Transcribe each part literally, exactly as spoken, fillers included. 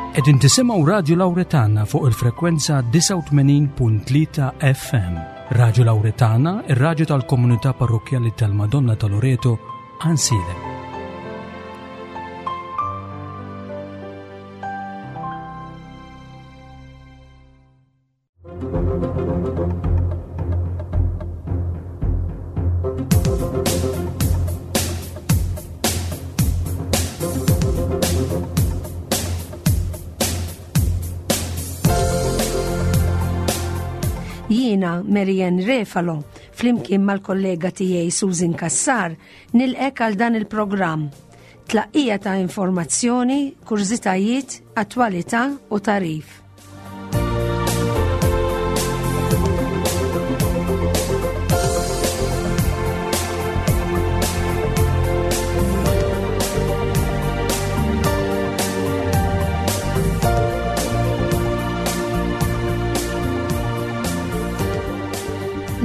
Qegħdin tisimgħu Radio Lauretana fuq il-frekwenza disgħa u tmenin punt tlieta F M. Radio Lauretana, ir-radju tal-komunità parrokjali tal-Madonna ta' Loreto, Għajnsielem. Jiena Marianne Refalo, flimkien mal-kollega tiegħi Susan Kassar, nilqgħek għal dan il-programm. Tlaqqija ta' informazzjoni, kurżitajiet, attwalità u tagħrif.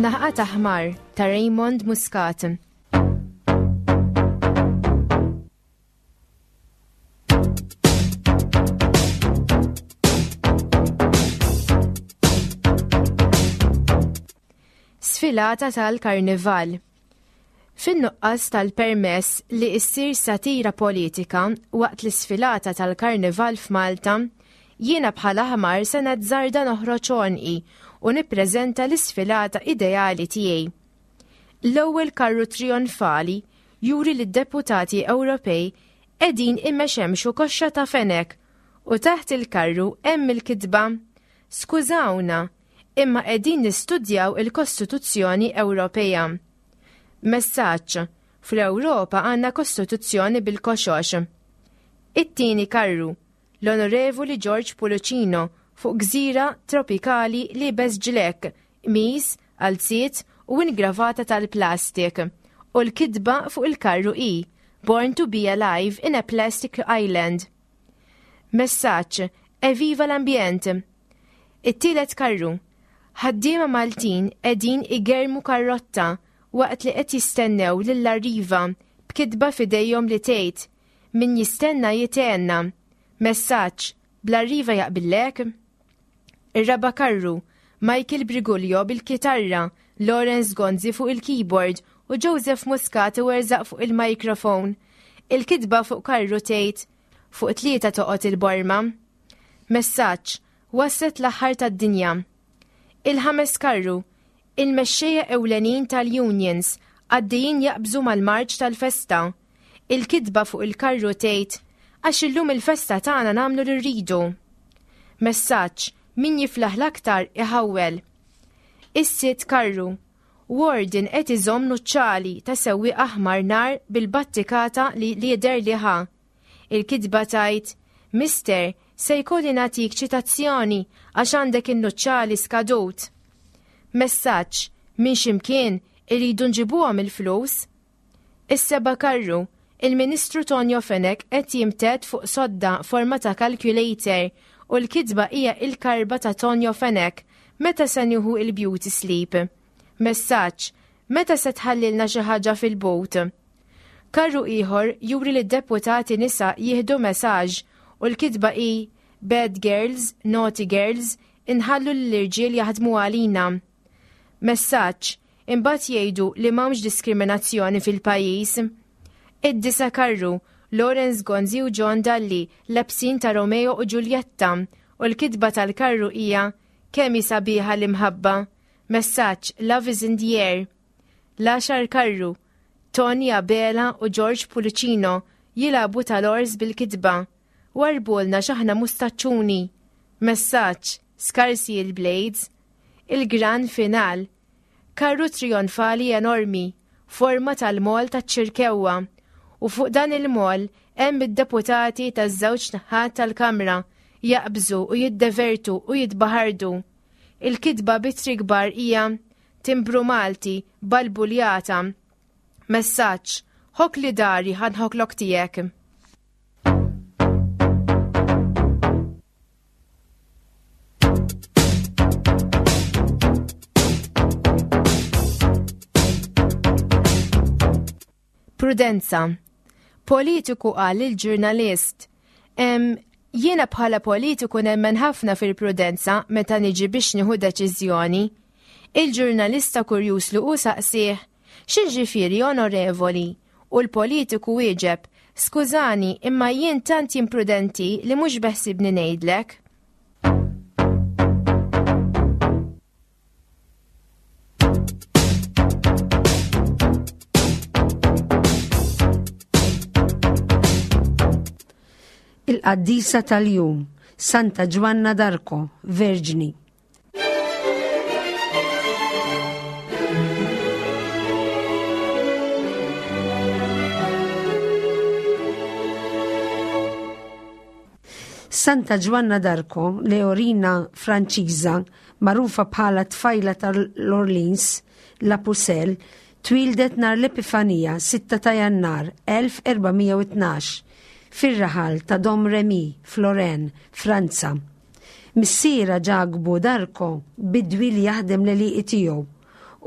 Naħqa ta' ħmar ta' Raymond Muscat. Sfilata tal-Karnival. Fin-nuqqas tal-permess li issir satira politika waqt l-isfilata tal-Karnival f'Malta, jiena bħala ħmar se nazzarda noħroġ għonqi u nippreżenta l-isfilata ideali tiegħi. L-ewwel karru trionfali juri li d-deputati Ewropej qegħdin imexemxu koxxa ta' fenek u taħt il-karru hemm il-kitba: "Skużawna, imma qegħdin nistudjaw il-Kostituzzjoni Ewropea." Messaġġ: fl-Ewropa għandna Kostituzzjoni bil-koxox. It-tieni karru, l-Onorevoli George Pullicino fuq gżira tropikali liebes ġlekk, qmis, qalziet u ingravata tal-plastik. U l-kitba fuq il-karru hi: "Born to be alive in a plastic island." Messaġġ: Eviva l-ambjent! It-tielet karru, ħaddiema Maltin qegħdin igermu karrotta waqt li qed jistennew lill-Arriva b'kitba f'idejhom li tgħid: "Min jistenna jithenna." Messaġġ: bl-Arriva jaqbillek? Ir-raba karru, Michael Briguglio bil-kitarra, Lawrence Gonzi fuq il-keyboard u Joseph Muscat werżaq fuq il-mikrofon. Il-kitba fuq karru tgħid: "Fuq tlieta toqgħod il-borma." Messaġġ: waslet l-aħħar tad-dinja. Il-ħames karru, il-mexxejja ewlenin tal-unions għaddejjin jaqbżu mal-marċ tal-festa. Il-kitba fuq il-karru tgħid: "Għax illum il-festa tagħna, nagħmlu li rridu." Messaġġ: min jiflaħ l-aktar iħawwel. Is-sitt karru, warden qed iżomm nuċċali ta' sewwieq aħmar nar bil-battikata li jidher li ħa. Il-kitba tgħid: "Mister, se jkolli nagħtik ċitazzjoni għax għandek in-nuċċali skadut." Messaġġ: minn ximkien iridu nġibuhom il-flus. Is-seba karru, il-Ministru Tonio Fenech qed jimted fuq sodda forma ta' calculator u l-kitba hija: "Il-karba ta' Tonio Fenech, meta se nieħu il-beauty sleep?" Messaġġ: meta se tħallilna xi ħaġa fil-bot? Karru ieħor juri li d-deputati nisa jieħdu messaġġ u l-kitba hi: "Bad girls, naughty girls, inħallu l-irġiel jaħdmu għalina." Messaġġ: imbagħad jgħidu li m'hawnx diskriminazzjoni fil-pajjiż. Id-disa karru, Lawrence Gonzi u John Dalli lebsin ta' Romeo u Giulietta u l-kitba tal-karru hija: "Kemm sabiħa l-imħabba." Messaġġ: Love is in the air. L-għaxar karru, Tony Abela u George Pullicino jilagħbu tal-ors bil-kitba: "Warbulna x'aħna mustaċċuni." Messaġġ: skarsi il-blades. Il-gran final. Karru trionfali enormi, forma tal-mol taċ-Ċirkewwa. U fuq dan il-mol hemm id-deputati taż-żewġ naħat tal-Kamra jaqbżu u jiddevertu u jitbaħardu. Il-kitba b'ittri kbar hija: "Timbru Malti balbuljata." Messaġġ: ħokkli dari ħa nħokklok tiegħek. Prudenza. Politiku qal il-ġurnalist: Jiena bħala politiku nemmen ħafna fil-prudenza meta niġi biex nieħu deċiżjoni. Il-ġurnalista kurjuż li hu saqsih, x'jiġifieri onorevoli? U l-politiku wieġeb, skużani, imma jien tant imprudenti li mhux beħsibni ngħidlek. Il-qaddisa tal-jum, Santa Ġwanna d'Arco, Verġni. Santa Ġwanna d'Arco, leorina Franċiża, magħrufa bħala tfajla tal-Orleans, La Pucelle, twildet nhar l-Epifanija sitta ta' Jannar elf erba' mija u tnax fir-raħal ta' Dom Remy, Floren, Franza. Missiera Ġakbu d'Arco bidwi li jaħdem l-għelieqi tiegħu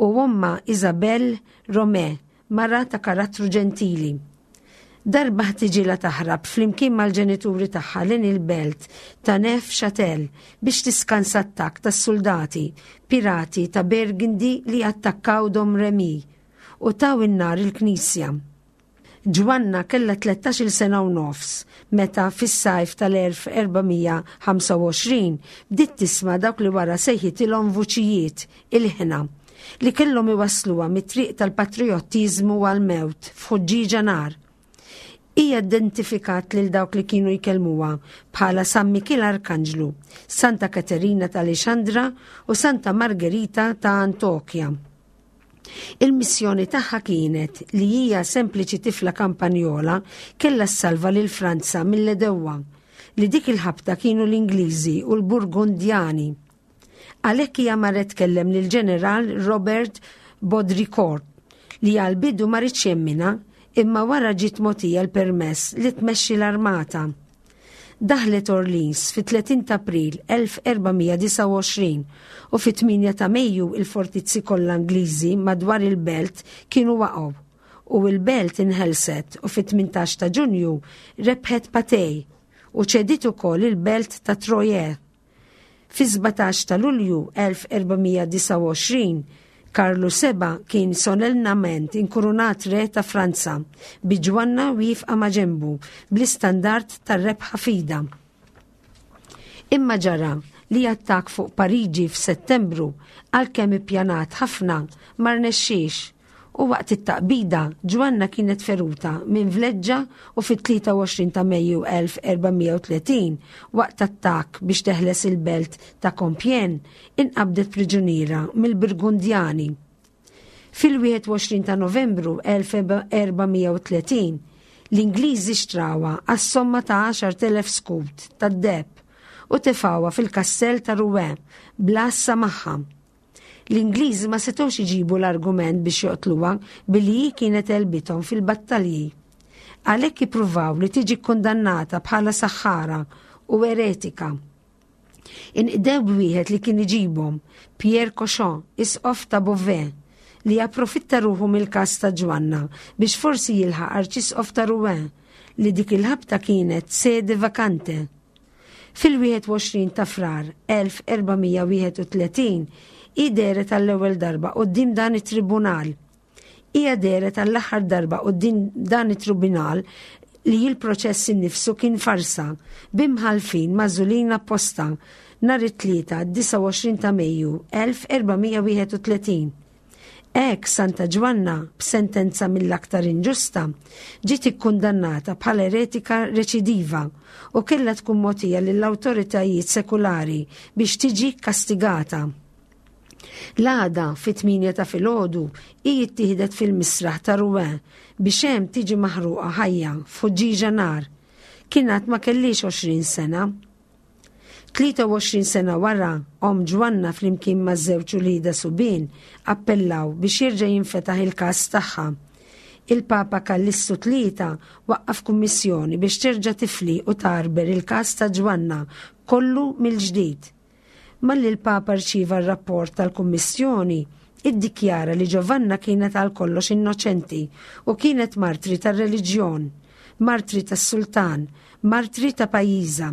u omma Isabel Romè, mara ta' karattru ġentili. Darba ħtiġilha taħrab flimkien mal-ġenituri tagħha lejn il-belt ta' Neuf-Châtel biex tiskansa attakk tas-soldati pirati ta' Burgundy li attakkaw Dom Remy u taw in-nar il-knisja. Ġwanna kellha tlettax-il sena u nofs meta fis-sajf tal-elf erba' mija ħamsa u għoxrin bdiet tisma' dawk li wara sejħitilhom vuċijiet il-ħna li kellhom iwassluha mit-triq tal-patriottiżmu għal-mewt f'ħuġġieġa nar. Hija identifikat lil dawk li kienu jkellmuha bħala San Mikiel Arkanġlu, Santa Katerina ta' Alexandra u Santa Margherita ta' Antokja. Il-missjoni tagħha kienet li hija sempliċi tifla kampanjola kellha ssalva lil Franza mill-edewwa li dik il-ħabta kienu l-Ingliżi u l-Burgundjani. Għalhekk hija marret tkellem lil ġeneral Robert Baudricourt li għal-bidu ma ridx jemmina imma wara ġiet mogħtija l-permess li tmexxi l-armata. Daħlet Orleans fit-tletin ta' April elf erba' mija disgħa u għoxrin u fit-tmienja ta' Mejju il-fortizzi kollha Ingliżi madwar il-belt kienu waqgħu u l-belt inħelset u fit-tmintax ta' Ġunju rebħet Patej u ċedit ukoll il-belt ta' Troyes. Fi sbatax ta' Lulju elf erba' mija disgħa u għoxrin Karlu seba' kien solennament inkurunat re ta' Franza bi Ġwanna wieqfa ma' ġenbu bl-istandard tar-rebħa fida. Imma ġara li attakk fuq Pariġi f'Settembru għalkemm ippjanat ħafna ma rnexxiex u waqt it-taqbida Ġwanna kienet feruta minn vleġġa u fit-tlieta u għoxrin ta' Mejju elf erba' mija u tletin waqt attakk biex teħles il-belt ta' Compiègne inqabdet priġuniera mill-Burgundjani. Fil-wieħed u għoxrin ta' Novembru elf erba' mija u tletin l-Ingliżi xtrawha għas-somma ta' għaxar telef skut tad-deheb u tefgħuha fil-kastell ta' Rouen bl-għassa magħha. L-Ingliżi ma setgħux iġibu l-argument biex joqtluha billi hi kienet għelbithom fil-battalji. Għalhekk ippruvaw li tiġi kkundannata bħala saħħara u eretika. Inqdew b'wieħed li kien iġibhom, Pierre Cauchon, isqof ta' Beauvais, li approfitta ruħu mill-każ ta' Ġwanna biex forsi jilħaq arċisqof ta' Rouen li dik il-ħabta kienet sede vakante. Fil-wieħed u għoxrin ta' Frar elf erba' mija wieħed u tletin hi dehret għall-ewwel darba quddiem dan it-tribunal. Hija dehret għall-aħħar darba quddiem dan it-tribunal li l-proċess innifsu kien farsa b'imħallfin magħżulin apposta nhar it-Tlieta disgħa u għoxrin ta' Mejju elf erba' mija wieħed u tletin. Hekk Santa Ġwanna b'sentenza mill-aktar inġusta ġiet ikkundannata bħala eretika reċidiva u kellha tkun mogħtija lill-awtoritajiet sekulari biex tiġi kastigata. L-għada fit-tmienja ta' filgħodu hi ttieħdet fil-misraħ ta' Rouen biex hemm tiġi maħruqa ħajja f'ħuġġieġa nar. Kien għad ma kellix għoxrin sena. Tlieta u għoxrin sena wara, omm Ġwanna flimkien ma' żewġ uliedha subien appellaw biex jerġa' jinfetaħ il-każ tagħha. Il-Papa Kallistu tlieta waqqaf kummissjoni biex terġa' tifli u tarber il-każ ta' Ġwanna kollu mill-ġdid. Malli l-Papa rċieva r-rapport tal-Kummissjoni, iddikjara li Ġovanna kienet għal kollox innoċenti u kienet martri tar-reliġjon, martri tas-sultan, martri ta' pajjiżha.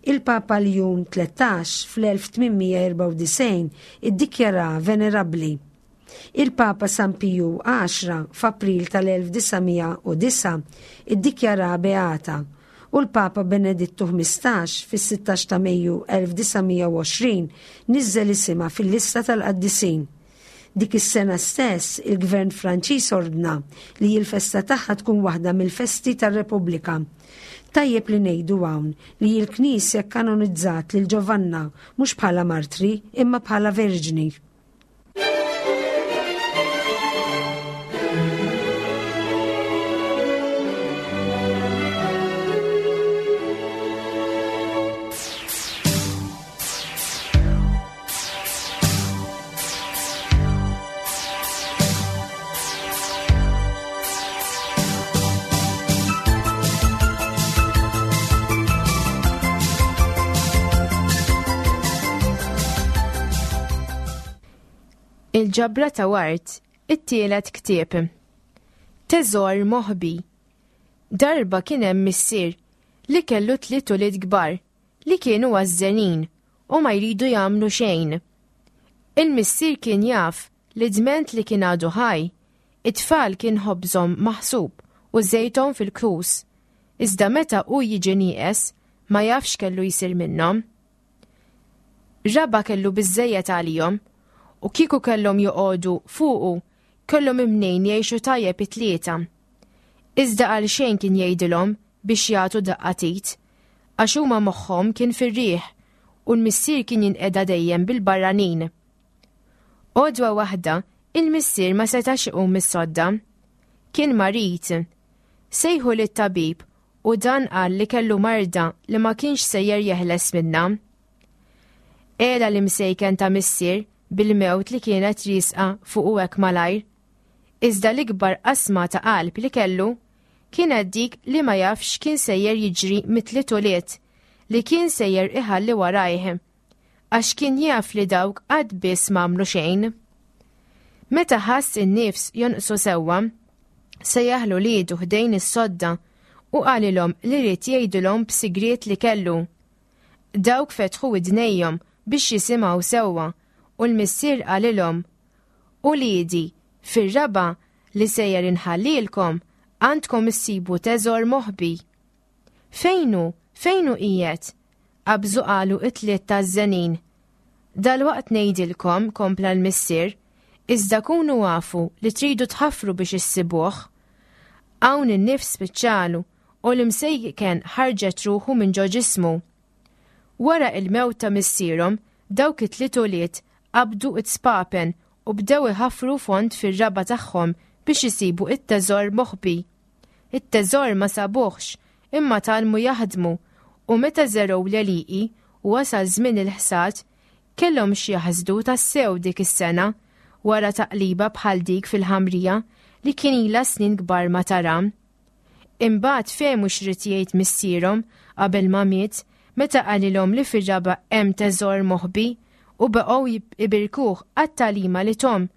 Il-Papa Ljun tlettax fl-elf tmien mija erbgħa u disgħin iddikjara venerabbli. Il-Papa San Piju għaxra f'April tal-elf disa' mija u disgħa iddikjara beata u l-Papa Benedittu ħmistax fis-sittax ta' Mejju elf disa' mija u għoxrin niżżel isimha fil-lista tal-qaddisin. Dik is-sena stess, il-Gvern Franċiż ordna li l-festa tagħha tkun waħda mill-festi tar-Repubblika. Tajjeb li ngħidu hawn li l-Knisja kanonizzat lil Giovanna mhux bħala martri imma bħala verġni. Il-ġabra ta' Ward, it-tielet ktieb. Teżor moħbi. Darba kien hemm missier li kellu tliet ulied kbar li kienu għażżenin u ma jridu jagħmlu xejn. Il-missier kien jaf li dment li kien għadu ħaj, it-tfal kien ħobżhom maħsub u żejthom fil-kus, iżda meta hu jiġi nieqes ma jafx kellu jsir minnhom. Raba kellu biżżejjed għalihom u kieku kellhom joqogħdu fuqu, kellhom imnejn jgħixu tajjeb it-tlieta. Iżda għal xejn kien jgħidilhom biex jagħtu daqqatit, għax huma moħħhom kien fir-riħ u l-missier kien jinqeda dejjem bil-barranin. Għodwa waħda, il-missier ma setax iqum mis-sodda. Kien marid. Sejħu lit-tabib u dan qal li kellu marda li ma kienx sejjer jeħles minnha. Ela l-imsejken ta' missier bil-mewt li kienet risqa fuq u hekk malajr. Iżda l-ikbar qasma ta' qalb li kellu kienet dik li ma jafx kien sejjer jiġri mitli tuliet li kien sejjer iħalli warajh, għax kien jaf li dawk qatt biss m'għamlu xejn. Meta ħass in-nifs jonqsu sewwa, sejjaħ l-uliedu ħdejn is-sodda u qalilhom li ried jgħidilhom b'sigriet li kellu. Dawk fetħu widnejhom biex jisimgħu sewwa u l-missier qalilhom, Uliedi, fir-raba li sejjer inħallilkom għandkom issibu teżor moħbi. Fejnu, fejnu qiegħed? Qabżu qalu it-tliet taż-żenin. Dalwaqt ngħidilkom, kompla l-missier, iżda kunu għafu li tridu tħaffru biex issibuh. Hawn in-nifs spiċċalu u l-imsejken ħarġet ruħu minn ġo ġismu. Wara il-mewt ta' missierhom, dawk it-tliet ulied qabdu it-spapen u bdew iħaffru fond fir-raba tagħhom biex isibu it-teżor moħbi. It-teżor ma sabuhx, imma tgħallmu jaħdmu u meta żergħu l-għelieqi u wasal żmien il-ħsad, kellhom xi jaħsdu tassew dik is-sena wara taqliba bħal dik fil-ħamrija li kien ilha snin kbar ma tara. Imbagħad fehmu x'rid jgħid missierhom qabel ma miet meta qalilhom li fir-raba hemm teżor moħbi u baqgħu ibirkuh għat-tagħlima li tom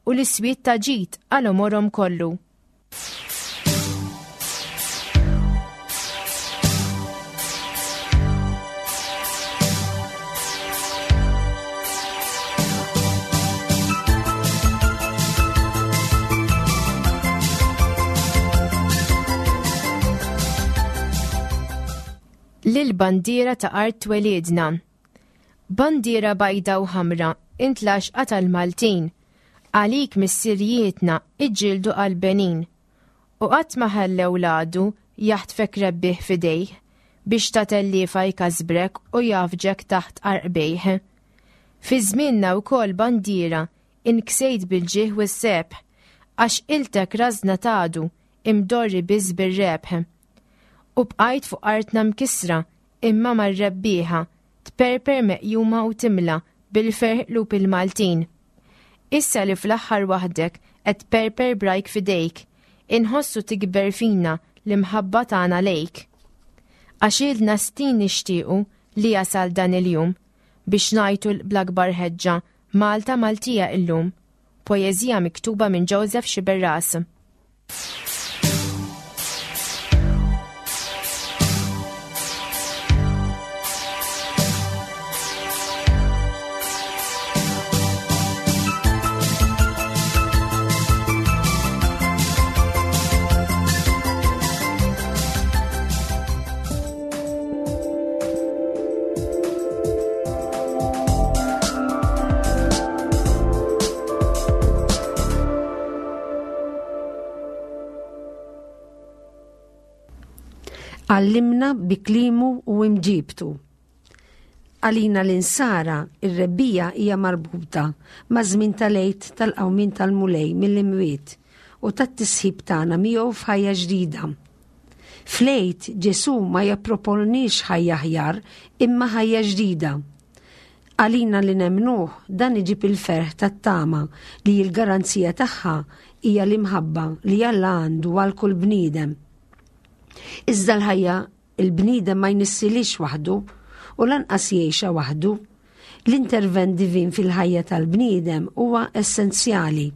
u l-iswied ta' ġid għal għomorhom kollu. Lil bandiera ta' art twelidna. Bandiera bajda u ħamra intlaxqa tal-Maltin, għalik missirijietna iġġieldu għal-Benin. U qatt ma ħallew l-għadu jaħtfek rebbieħ fidejh biex ta' telliefa jkasbrek u jafġek taħt qarqbejh. Fi żmienna wkoll bandiera inksejt bil-ġieħ u s-sebħ, għax iltek rażna tgħadu imdorri biss bir-rebħ. U bqajt fuq artna mkisra imma mar-rebbieħa tperper meqjuma u timla bil-ferħ qlub il-Maltin. Issa li fl-aħħar waħdek qed tperper brajk fidejk, inħossu tikber fina l-imħabba tagħna lejk. Għax ilna snin nixtiequ li jasal dan il-jum biex ngħidu bl-akbar ħeġġa Malta Maltija illum. Poeżija miktuba minn Joseph Sciberras. Għallimna bi kliemu u imġibtu. Għalina l-insara, ir-rebbija hija marbuta ma' żmien tal-Għid tal-qawmien tal-Mulej mill-imwiet u tat-tisħib tagħna miegħu f'ħajja ġdida. Fl-Għid Ġesù ma jipproponix ħajja aħjar imma ħajja ġdida. Għalina li nemnuh dan iġib il-ferħ tat-tama li l-garanzija tagħha hija l-imħabba li Alla għandu għal kull bniedem. Iżda l-ħajja il-bniedem ma jnissilix waħdu u lanqas jgħixha waħdu. L-intervent divin fil-ħajja tal-bniedem huwa essenzjali.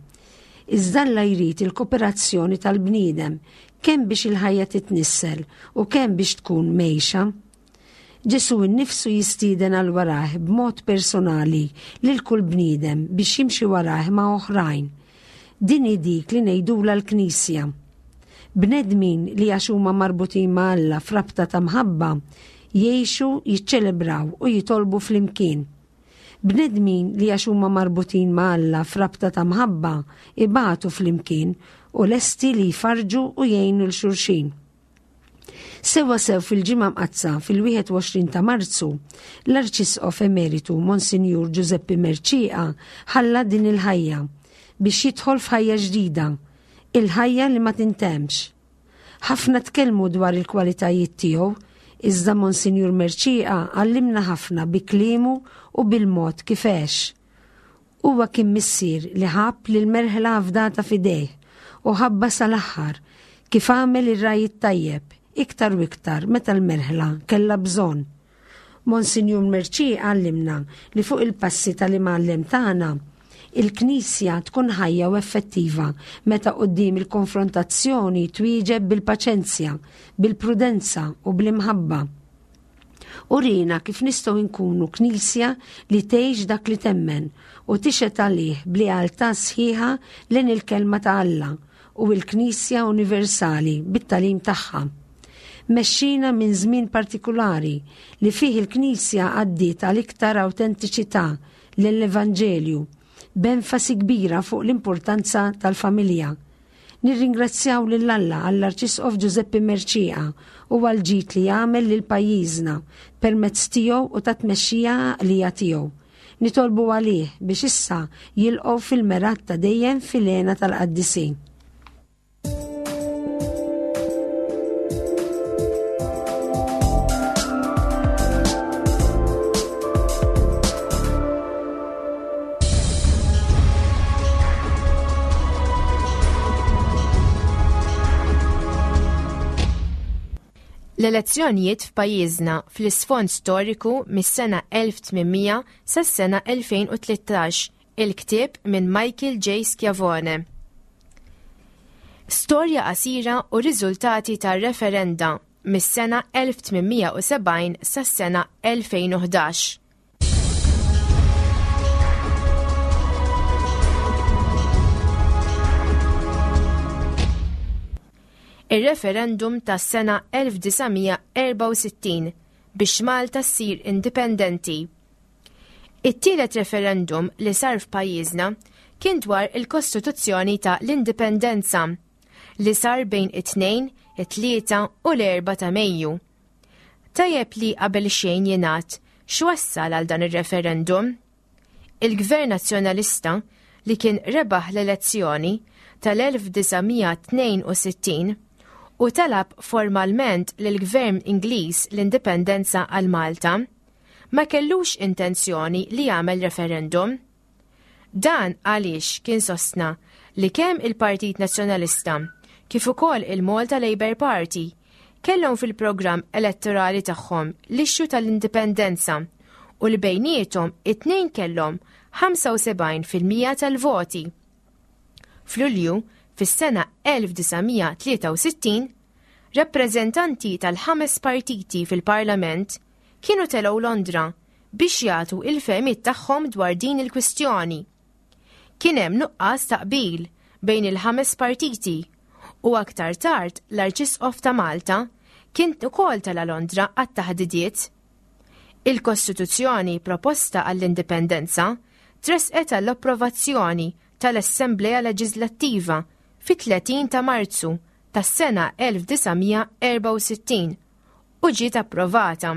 Iżda Alla jrid il-kooperazzjoni tal-bniedem kemm biex il-ħajja titnissel u kemm biex tkun mejxa. Ġesù nnifsu jistieden għal warah b'mod personali lil kull bniedem biex jimxi warah ma' oħrajn. Din hi dik li ngħidulha l-Knisja. Bnedmin li għax huma marbutin ma' Alla f'rabta ta' mħabba jgħixu, jiċċelebraw u jitolbu flimkien. Bnedmin li għax huma marbutin ma' Alla f'rabta ta' mħabba ibatu flimkien u lesti li jfarġu u jgħinu 'l xulxin. Sewwa sew fil-Ġimgħa Mqaddsa fil-wieħed u għoxrin ta' Marzu, l-Arċisqof Emeritu Monsinjur Giuseppe Mercieca ħalla din il-ħajja biex jidħol f'ħajja ġdida, il-ħajja li ma tintemx. Ħafna tkellmu dwar il-kwalitajiet tiegħu, iżda Monsinjur Mercieca għallimna ħafna bi kliemu u bil-mod kif għex. Huwa kien missier li ħabb lil merħla fdata f'idejh u ħabba sal-aħħar kif għamel ir-ragħaj it-tajjeb iktar u iktar meta l-merħla kellha bżonn. Monsinjur Mercieca għallimna li fuq il-passi tal-imgħallem tagħna il-Knisja tkun ħajja u effettiva meta quddiem il-konfrontazzjoni twieġeb bil-paċenzja, bil-prudenza u bl-imħabba. Urina kif nistgħu nkunu Knisja li tgħix dak li temmen u tixhed għalih b'lealtà sħiħa lejn il-kelma ta' Alla u l-Knisja Universali bit-tagħlim tagħha. Mexxina minn żmien partikulari li fih il-Knisja għaddiet għal iktar awtentiċità lill-Evanġelju, b'enfasi kbira fuq l-importanza tal-familja. Nirringrazzjaw lil Alla għall-Arċisqof Giuseppe Mercieca u għall-ġid li jagħmel lil pajjiżna permezz tiegħu u ta' tmexxija għaqlija tiegħu. Nitolbu għalih biex issa jilqgħu fil-merat ta' dejjem fil-hena tal-qaddisin. L-elezzjonijiet f'pajjiżna fl-isfond storiku mis-sena elf tmien mija sas-sena elfejn u tlettax, il-ktieb minn Michael J. Schiavone. Storja qasira u riżultati tar-referenda mis-sena elf tmien mija u sebgħin sas-sena elfejn u ħdax. Ir-referendum tas-sena elf disa' mija erbgħa u sittin biex Malta ssir indipendenti. It-tielet referendum li sar f'pajjiżna kien dwar il-Kostituzzjoni ta' l-Indipendenza li sar bejn it-tnejn, it-tlieta u l-erba' ta' Mejju. Tajjeb li qabel xejn jingħad x'wassal għal dan ir-referendum. Il-Gvern Nazzjonalista li kien rebaħ l-elezzjoni tal-elf disa' mija tnejn u sittin u talab formalment lill-Gvern Ingliż l-indipendenza għal Malta, ma kellux intenzjoni li jagħmel referendum. Dan għaliex kien sostna li kemm il-Partit Nazzjonalista kif ukoll il-Malta Labour Party kellhom fil-programm elettorali tagħhom l-issue tal-indipendenza u li bejniethom it-tnejn kellhom ħamsa u sebgħin fil-mija tal-voti. F'Lulju, fis-sena elf disa' mija tlieta u sittin, rappreżentanti tal-ħames partiti fil-Parlament kienu telgħu Londra biex jagħtu il-fehmiet tagħhom dwar din il-kwistjoni. Kien hemm nuqqas ta' qbil bejn il-ħames partiti u aktar tard l-Arċisqof ta' Malta kien ukoll tela' Londra għat-taħdidiet. Il-Kostituzzjoni proposta għall-Indipendenza tresqet għall-approvazzjoni tal-Assemblea Leġislattiva fit-tletin ta' Marzu tas-sena elf disa' mija erbgħa u sittin u ġiet approvata.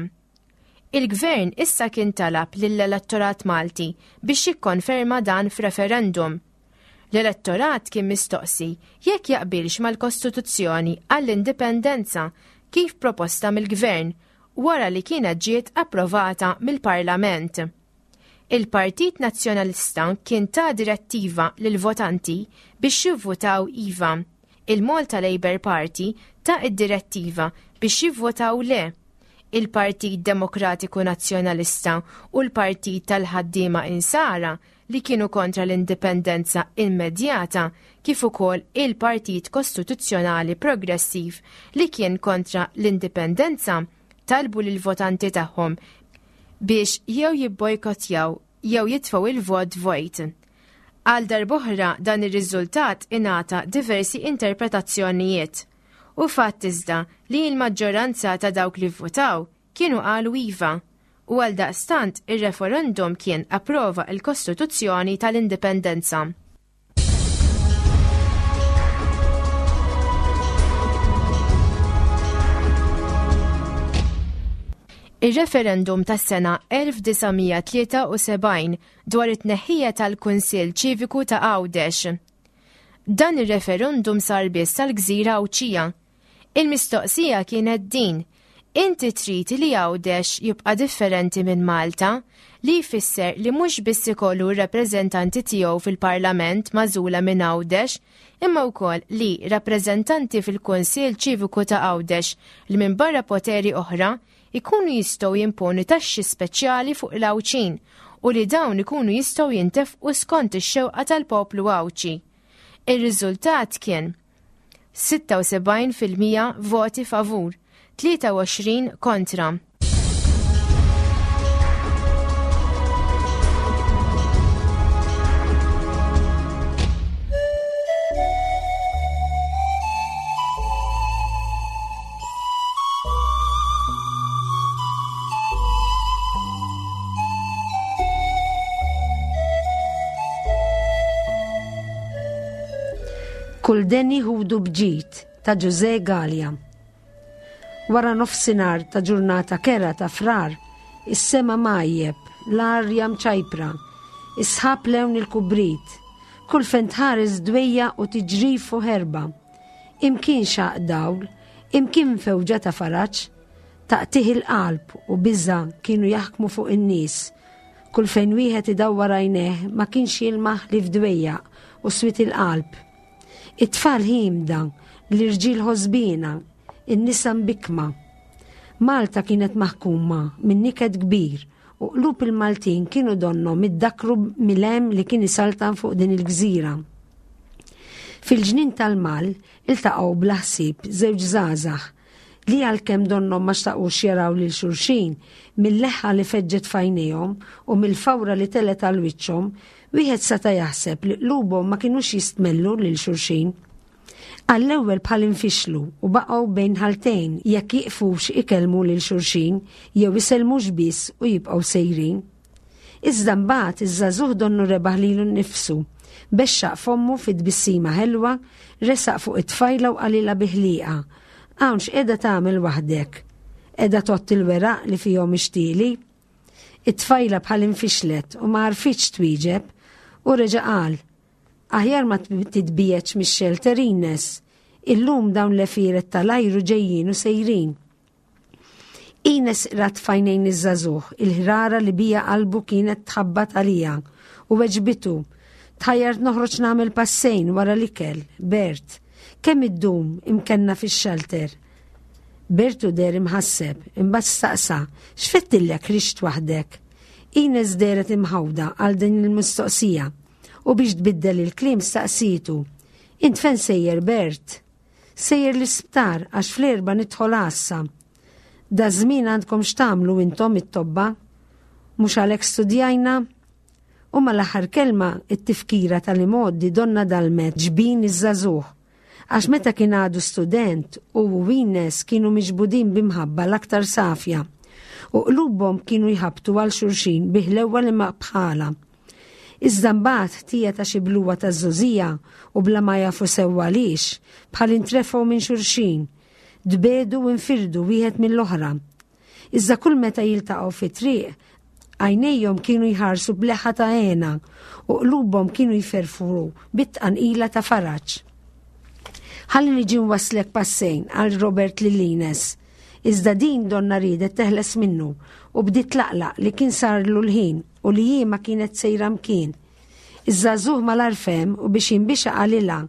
Il-gvern issa kien talab lill-elettorat Malti biex jikkonferma dan f'referendum. L-elettorat kien mistoqsi jekk jaqbilx mal-Kostituzzjoni għall-indipendenza kif proposta mill-gvern wara li kienet ġiet approvata mill-Parlament. Il-Partit Nazzjonalista kien ta direttiva lill-votanti biex jivvotaw iva. Il-Malta Labour Party ta id-direttiva biex jivvotaw le. Il-Partit Demokratiku Nazzjonalista u l-Partit tal-Ħaddiema Insara li kienu kontra l-indipendenza immedjata kif ukoll il-Partit Kostituzzjonali Progressiv li kien kontra l-indipendenza talbu lill-votanti tagħhom biex jew jibbojkottjaw jew jitfgħu il-vot vojt. Għal darb'oħra dan ir-riżultat ingħata diversi interpretazzjonijiet. U fatt iżda li l-maġġoranza ta' dawk li vvotaw kienu qalu iva u għal daqstant ir-referendum kien approva l-Kostituzzjoni tal-Indipendenza. Ir-referendum tas-sena elf disa' mija tlieta u sebgħin dwar it-tneħħija tal-Kunsill Ċiviku ta' Għawdex. Dan ir-referendum sar biss tal-Gżira Għawdxija. Il-mistoqsija kienet din: inti trid li Għawdex jibqa' differenti minn Malta, li jfisser li mhux biss ikollu r-rappreżentanti tiegħu fil-Parlament magħżula minn Għawdex, imma wkoll li rappreżentanti fil-Kunsill Ċiviku ta' Għawdex li minn barra poteri oħra ikunu jistgħu jimponu taxxi speċjali fuq l-Għawdxin u li dawn ikunu jistgħu jintefqu skont ix-xewqa tal-poplu Għawdxi. Ir-riżultat kien sitta u sebgħin fil-mija voti favur, tlieta u għoxrin kontra. Kull deni ħudu bġid ta' Ġużè Galea. Wara nofsinhar ta' ġurnata kera ta' frar, is-sema majjeb, l-arja mċajpra, is-sħab lewn il-kubrit, kull fejn tħares dwejja u tiġrif u ħerba. Imkien xaq dawl, imkien fewġa ta' faraġ, taqtih il-qalb u biża' kienu jaħkmu fuq in-nies. Kull fejn wieħed idawwar għajnejh ma kienx jilmaħ li f'dwejja u swit il-qalb. It-tfal ħimda, l-irġiel ħosbina, in-nisa mbikma. Malta kienet maħkuma minn niket kbir u qlub il-Maltin kienu donhom iddakru mil-hemm li kien isaltan fuq din il-gżira. Fil-ġnien tal-Mal iltaqgħu bla ħsieb żewġ żgħażagħ li għalkemm donhom ma xtaqux jaraw lil xulxin, mill-leħħa li feġġet f'għajnejhom u mill-fawra li telet għal wiċċhom, wieħed seta' jaħseb li qlubhom ma kinux jistmellu lil xulxin. Għall-ewwel bħal infixlu u baqgħu bejn ħaltejn jekk jiqfux ikellmu lil xulxin jew isellmux biss u jibqgħu sejrin. Iżda mbagħad iż-żagħżugħ donnu rebaħ lilu nnifsu, bexxaq fommu fi tbissima ħelwa, resaq fuq it-tfajla u qalilha bi ħlieqa: Hawn x'qiegħda tagħmel waħdek? Qiegħda tgħodd il-weraq li fihom ixtieli? It-tfajla bħal infixlet u ma għarfitx twieġeb u reġa' qal: Aħjar ma titbiegħedx mix-xelter Ines, illum dawn l-efiret tal-ajru ġejjin u sejrin. Ines rat f'għajnejn iż-żagħżugħ il-ħrara li bija qalbu kienet tħabbat għalija u weġbitu: Tħajjart noħroġ nagħmel passejn wara l-ikel, Bert. Kemm iddum imkenna fix-xelter? Bertu deher imħasseb, imbagħad staqsa: X'fettillek rixt waħdek? Ines dehret imħawda għal din il-mistoqsija u biex tbiddel il-kliem staqsitu: Int fejn sejjer, Bert? Sejjer l-isptar għax fl-erba nidħol għassa. Da żmien għandkom x'tagħmlu intom it-tobba? Mhux għalhekk studjajna? U mal-aħħar kelma it-tifkira tal-imgħoddi donna dalmet ġbin iż-żagħżugħ. Għax meta kien għadu student u Ines kienu miġbudin bimħabba l-aktar safja u qlubhom kienu jħabtu għal xulxin bi ħlewwa li ma bħala. Iżda mbagħad ħtija ta' xi bluwa ta' żgħożija u bla ma jafu sewwa għaliex, bħal intrefgħu minn xulxin. Tbiegħdu u nfirdu wieħed mill-oħra. Iżda kull meta jiltaqgħu fi triq, għajnejhom kienu jħarsu b'leħħa ta' hena u qlubhom kienu jferfru bit-tqanqila ta' faraġ. "Ħalli niġi nwasslek passejn," qal Robert lil Ines. Iżda din donna riedet teħles minnu u bdiet tlaqlaq li kien sarlu l-ħin u li hi ma kienet sejra mkien. Iż-żagħżugħ malajr fehem u biex jinbixha qalilha,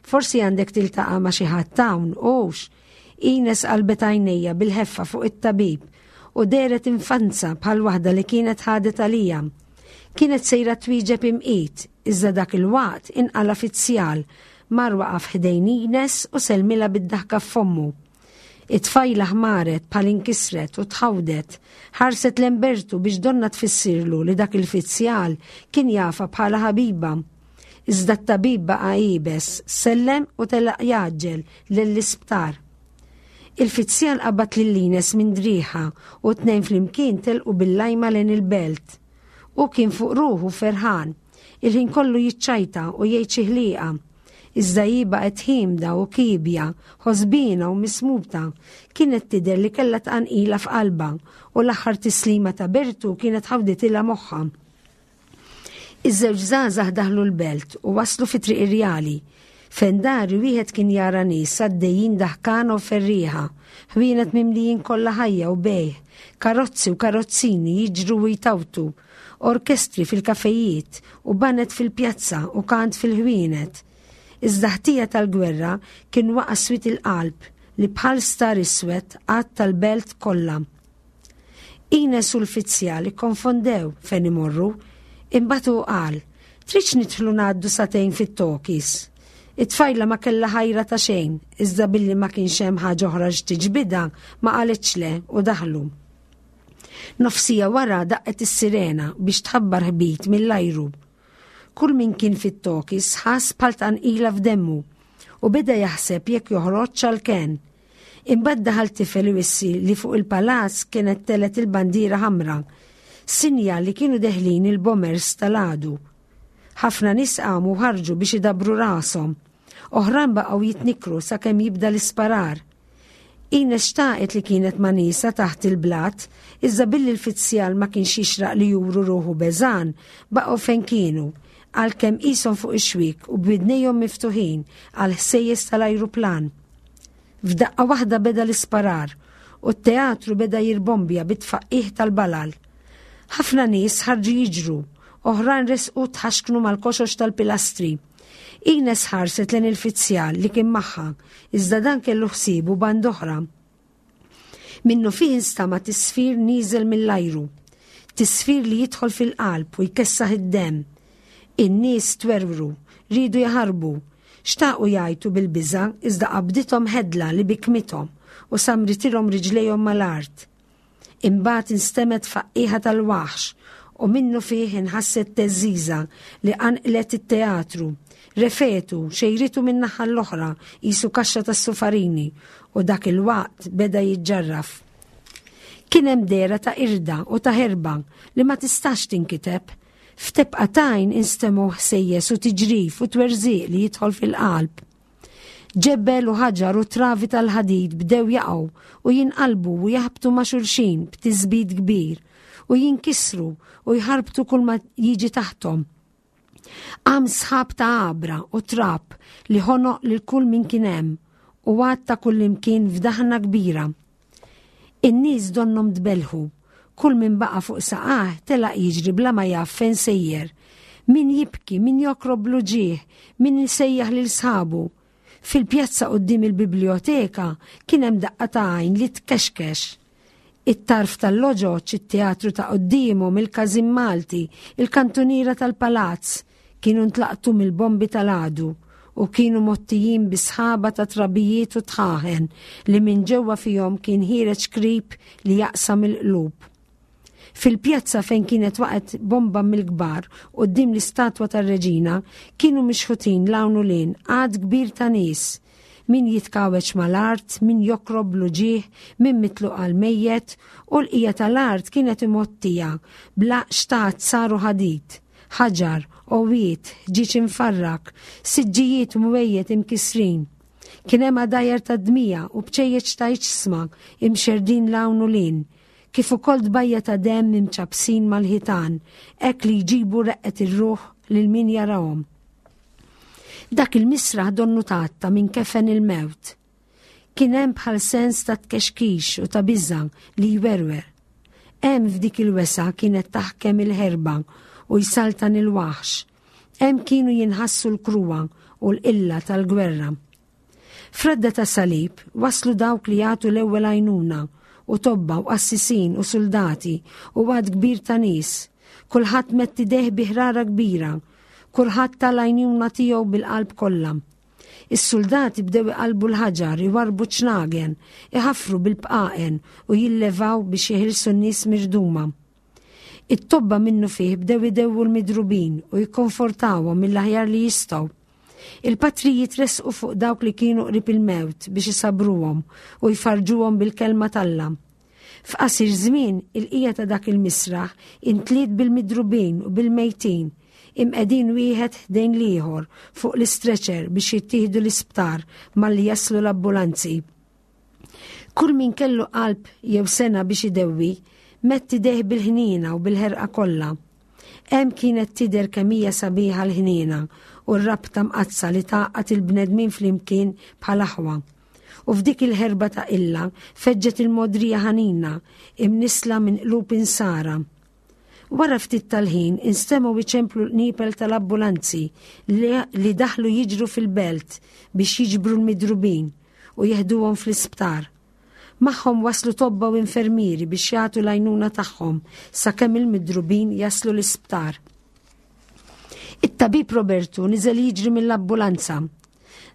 "Forsi għandek tiltaqa' ma' xi ħadd hawn, hux?" Ines qalbet għajnejha bil-ħeffa fuq it-tabib u dehret infanza bħal waħda li kienet ħadet għalija. Kienet sejra twieġeb imqit, iżda dak il-waqt inqala fizzjal, mar waqaf ħdejn Ines u sellmilha bid-daħka f'fommu. It-tfajla ħmaret bħal inkisret u tħawdet, ħarset lejn Bertu biex donna tfissirlu li dak il-fizzjal kien jafha bħala ħabiba. Iżda t-tabib baqa' iebes, sellem u telaq jgħaġġel lill-isptar. Il-fizzjal qabad lil Ines minn driegħha u t-tnejn flimkien telqu bil-lajma lejn il-belt. U kien fuq ruħu ferħan, il-ħin kollu jiċċajta u jgħid xi ħliqa. Iżda hi baqgħet ħiemda u kiebja, ħosbina u mismuta, kienet tidher li kellha tqanqila f'qalba u l-aħħar tislima ta' Bertu kienet ħawditilha moħħha. Iż-żewġ żgħażagħ daħlu l-belt u waslu fi Triq Irjali. Fejn dari wieħed kien jara nies għaddejjin daħkana u ferrieħa, ħwienet mimlijin kollha ħajja u bejgħ, karozzi u karozzini jiġru u jtawtu, orkestri fil-kafejiet u baned fil-pjazza u kant fil-ħwienet. Iżda ħtija tal-gwerra kien waqa' swied il-qalb li bħal star iswed għatta l-belt kollha. Ines u l-fizzjal ikkonfondew fejn imorru, imbagħad hu qal, "Tridx nidħlu ngħaddu sagħtejn fit-talkies?" It-tfajla ma kellha ħajra ta' xejn, iżda billi ma kienx hemm ħaġa oħra x'tiġbidha ma qalitx le u daħlu. Nofs siegħa wara daqqet is-sirena biex tħabbar ħbit mill-ajru. Kull min kien fit-talkies ħass bħal tqanqila f'demmu u beda jaħseb jekk joħroġ għal-kenn. Imbagħad daħal tifel iwissi li fuq il-palazz kienet telgħet il-bandiera ħamra, sinjal li kienu deħlin il-bombers tal-għadu. Ħafna nies qamu ħarġu biex idabru rashom. Oħrajn baqgħu jitnikru sakemm jibda l-isparar. Ines xtaqet li kienet ma' niesha taħt il-blat, iżda billi l-fizzjal ma kienx jixraq li juru ruħu beżgħan, baqgħu fejn kienu, għalkemm qishom fuq ix-xwiek u b'widnejhom miftuħin għal ħsejjes tal-ajruplan. F'daqqa waħda beda l-isparar u t-teatru beda jirbombja bit-tfaqqih tal-balal. Ħafna nies ħarġu jiġru, oħrajn resqu tħaxknu mal-koxox tal-pilastri. Ines ħarset lejn il-fizzjal li kien magħha, iżda dan kellu ħsiebu band'oħra. Minnufih instama' tisfir nieżel mill-ajru, tisfir li jidħol fil-qalb u jkessaħ id-dem. In-nies twerwru, riedu jaħarbu, xtaqu jgħajtu bil-biża' iżda qabdithom ħedla li bikmithom u samritilhom riġlejhom mal-art. Imbagħad instemgħet tfaqqiegħa tal-waħx u minnufih inħasset theżżiża li qanqlet it-teatru. Refgħetu, xejritu min-naħa l-oħra qisu kaxxa tas-sufarini u dak il-waqt beda jiġġarraf. Kien hemm dehra ta' qirda u ta' ħerba li ma tistax tinkiteb. F'tebqa t'għajn instemgħu ħsejjes u tiġrif u twerżiq li jidħol fil-qalb. Ġebel u ħaġar u travi tal-ħadid bdew jaqgħu u jinqalbu u jaħbtu ma' xulxin b'tisbit kbir u jinkisru u jħarbtu kull ma jiġi taħtom. Qam sħab ta' għabra u trab li ħonoq lil kull min kien hemm u għatta kull imkien f'daħna kbira. In-nies donnhom tbellhu, kull min baqa' fuq saqajh telaq jiġri bla ma jaf fejn sejjer. Min jibki, min jokrob bl-uġigħ, min isejjaħ lil sħabu. Fil-pjazza quddiem il-biblioteka kien hemm daqqa ta' għajn li tkexkex. It-tarf tal-loġoċ, it-teatru ta' quddiemhom, il-Każin Malti, il-kantuniera tal-palazz kienu ntlaqtu mill-bombi tal-għadu u kienu mgħottijin bi sħaba ta' trabijiet u dħaħen li minn ġewwa fihom kien ħiereġ krib li jaqsam il-qlub. Fil-pjazza fejn kienet waqgħet bomba mill-kbar quddiem l-istatwa tar-reġina kienu mixħutin 'l hawn u 'l hinn għadd kbir ta' nies. Min jitkawweġ mal-art, min jokrob bl-uġigħ, min mitluq għal mejjet u l-bqija tal-art kienet imgħottija b'laqx ta' azzar u ħadid, ħaġar, għowiet, ħġieġ imfarrak, siġġijiet u mwejjed imkisrin. Kien hemm għadajjar ta' dmija u bċejjeċ ta' iġsma imxerdin 'l hawn u 'l hinn, kif ukoll tbajja ta' demm imċappsin mal-ħitan, hekk li jġibu reqqet ir-ruħ lil min jarahom. Dak il-misraħ donnu tgħatta minn kefen il-mewt. Kien hemm bħal sens ta' tkexkix u ta' biża' li jwerwer. Hemm f'dik il-wesgħa kienet taħkem il-ħerba u jsaltan il-waħx. Hemm kienu jinħassu l-kruha u l-qilla tal-gwerra. F'radda ta' salib waslu dawk li jagħtu l-ewwel għajnuna u tobba u qassisin u soldati u għadd kbir ta' nies. Kulħadd medd idejh bi ħrara kbira, kulħadd ta l-għajnuna tiegħu bil-qalb kollha. Is-soldati bdew iqalbu l-ħaġar, iwarbu ċnagen, iħaffru bil-bqaqen u jillevaw biex jeħilsu n-nies mirduma. It-tobba minnufih bdew idewwu l-midrubin u jikkonfortawhom mill-aħjar li jistgħu. Il-patrijiet resqu fuq dawk li kienu qrib il-mewt biex isabruhom u jfarġuhom bil-kelma t'Alla. F'qasir żmien il-qija ta' dak il-misraħ intliet bil-midrubin u bil-mejtin, imqegħdin wieħed ħdejn l-ieħor fuq l-istretcher biex jittieħdu l-isptar malli jaslu l-ambulanzi. Kull min kellu qalb jew sengħa biex idewwi, medd idejh bil-ħniena u bil-ħerqa kollha. Hemm kienet tidher kemm hija sabiħa l-ħniena u r-rabta mqaddsa li tgħaqqad il-bnedmin flimkien bħal aħwa. U f'dik il-ħerba ta' illa feġġet il-mogħdrija ħanina imnissla minn qlub insara. Wara ftit tal-ħin instemgħu iċemplu l-qniepel tal-ambulanzi li daħlu jiġru fil-belt biex jiġbru l-midrubin u jeħduhom fl-isptar. Magħhom waslu tobba u infermieri biex jagħtu l-għajnuna tagħhom sakemm il-midrubin jaslu l-isptar. It-tabib Robertu niżel jiġri mill-ambulanza.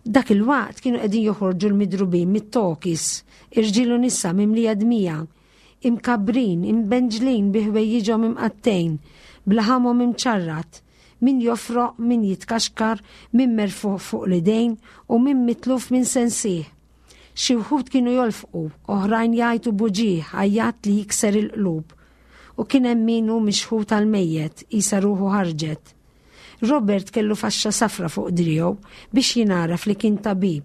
Dak il-waqt kienu qegħdin joħorġu l-midrubin mit-tokis, irġiel u nisa mimlija dmija, imkabrin, imbenġlin bi ħwejjiġhom imqattgħin, b'laħamhom imċarrat, min jofroq, min jitkaxkar, min merfuħ fuq l-idejn u min mitluf minn sensih. Xi wħud kienu jolfqu, oħrajn jgħajtu b'uġigħ, għajjat li jikser il-qlub. U kien hemm min hu mixħut għal-mejjet, qisha ruħu ħarġet. Robert kellu faxxa safra fuq driegħu biex jingħaraf li kien tabib.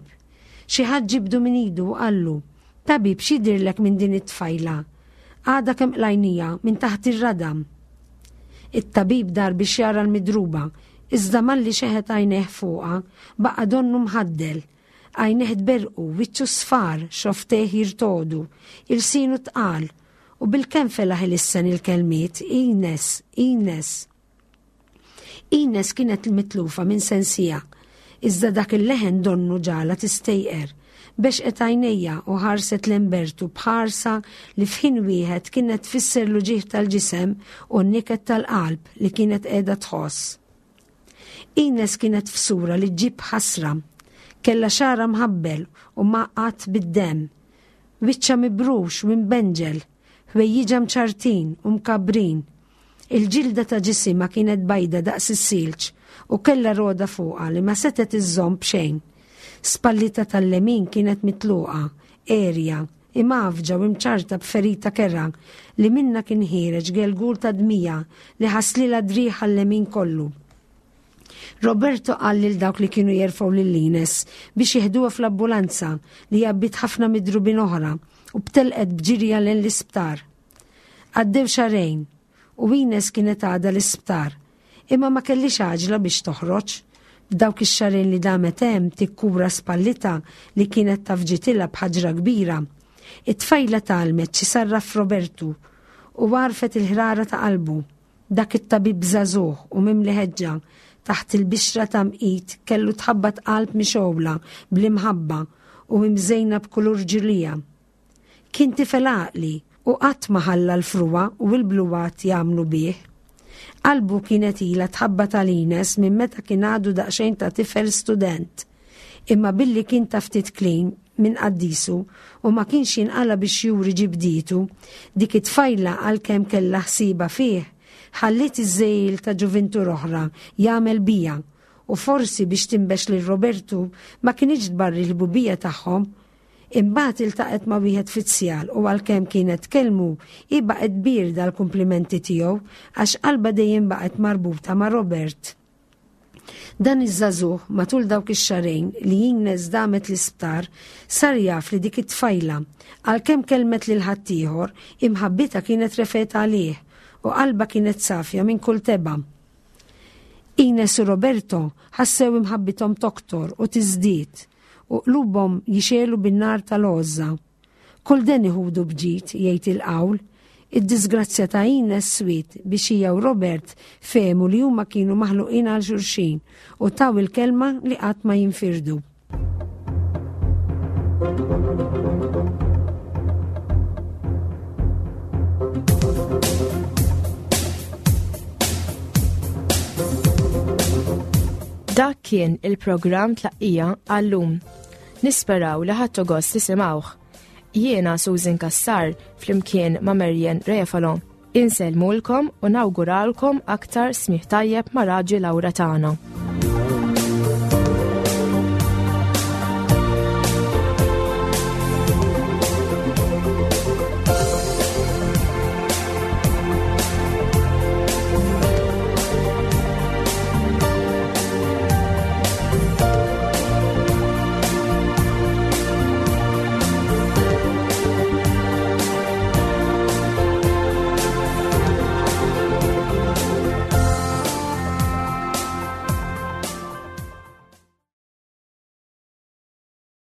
Xi ħadd ġibdu minn idu u qallu, "Tabib, x'jidhirlek minn din it-tfajla? Għadha kemm qlajnieha minn taħt ir-radam." It-tabib dar biex jara l-midruba, iżda malli xeħet għajnejh fuqha, baqa' donnu mħaddel. Għajnejh tberqu, wiċċu sfar, xofftejh jirtogħdu, ilsienu tqal, u bil-kemm felaħ ilissen il-kelmiet, "Ines, Ines." Ines kienet mitlufa minn sensija, iżda dak il-leħen donnu ġagħalha tistejqer, bexqet għajnejha u ħarset lejn Bertu b'ħarsa li f'ħin wieħed kienet tfisser l-uġigħ tal-ġisem u n-niket tal-qalb li kienet qiegħda tħoss. Ines kienet f'sura li ġġib ħasra, kellha xagħarha mħabbel u mgħaqqad bid-demm, wiċċha mibrux u mbenġel, ħwejjiġha mċarrtin u mkabrin. Il-ġilda ta' ġisimha kienet bajda daqs is-silġ u kellha roda fuqha li ma setet iżżomm b'xejn. Spallitha tal-lemin kienet mitluqa, għerja, imgħaffġa u imċarrta b'ferita kerha li minna kien ħiereġ gelgul ta' dmija li ħaslilha driegħha l-lemin kollu. Roberto qal lil dawk li kienu jerfgħu lil Ines biex jeħduha fl-ambulanza li għabbiet ħafna midrubin oħra u telqet b'ġirja lejn l-isptar. Għaddew xahrejn u Ines kienet għadha l-isptar, imma ma kellhiex għaġla biex toħroġ. Dawk ix-xahrejn li damet hemm tikkura spallitha li kienet tgħaffġitilha b'ħaġra kbira. It-tfajla tgħallmet x'isarraf Robertu u għarfet il-ħrara ta' qalbu. Dak it-tabib żagħżugħ u mimli ħeġġa taħt il-bixra ta' mqit kellu tħabbat qalb mixgħula bl-imħabba u imżejna b'kulur ġilija. Kien tifel għaqli u qatt ma ħalla l-frugħa u l-bluwat jagħmlu bih. Qalbu kienet ilha tħabbat għal Ines minn meta kien għadu daqsxejn ta' tifel student. Imma billi kien ta' ftit kliem minn qaddisu u ma kienx jinqala biex juri ġibditu, dik it-tfajla għalkemm kellha ħsiba fih, ħalliet iż-żegħil ta' ġuvintur oħra jagħmel bija u forsi biex tinbex lil Robertu ma kinitx tbarri l-ħbubija tagħhom. Imbagħad iltaqgħet ma' wieħed fizzjal u għalkemm kienet tkellmu hi baqgħet bierda l-kumplimenti tiegħu għax qalbha dejjem baqgħet marbuta ma' Robert. Dan iż-żagħżugħ matul dawk ix-xahrejn li Ines damet l-isptar sar jaf li dik it-tfajla għalkemm kellmet lil ħaddieħor imħabbitha kienet refgħetha għalih u qalbha kienet safja minn kull tebgħa. Ines u Roberto ħassew imħabbithom toktor u tiżdied u qlubhom jixegħlu bin-nar tal-għożża. Kull deni ħudu b'ġid, jgħid il-qawl, id-disgrazzja ta' Ines swiet biex hija u Robert fehmu li huma kienu maħluqin għal xulxin u taw il-kelma li qatt ma jinfirdu. Dak kien il-programm Tlaqqija għallum. Nisperaw li ħadtu gost tisimgħuh. Jiena Susan Cassar flimkien ma' Marian Refalo. Insellmulkom u nawguralkom aktar smigħ tajjeb ma' Raġi Lawra tagħna.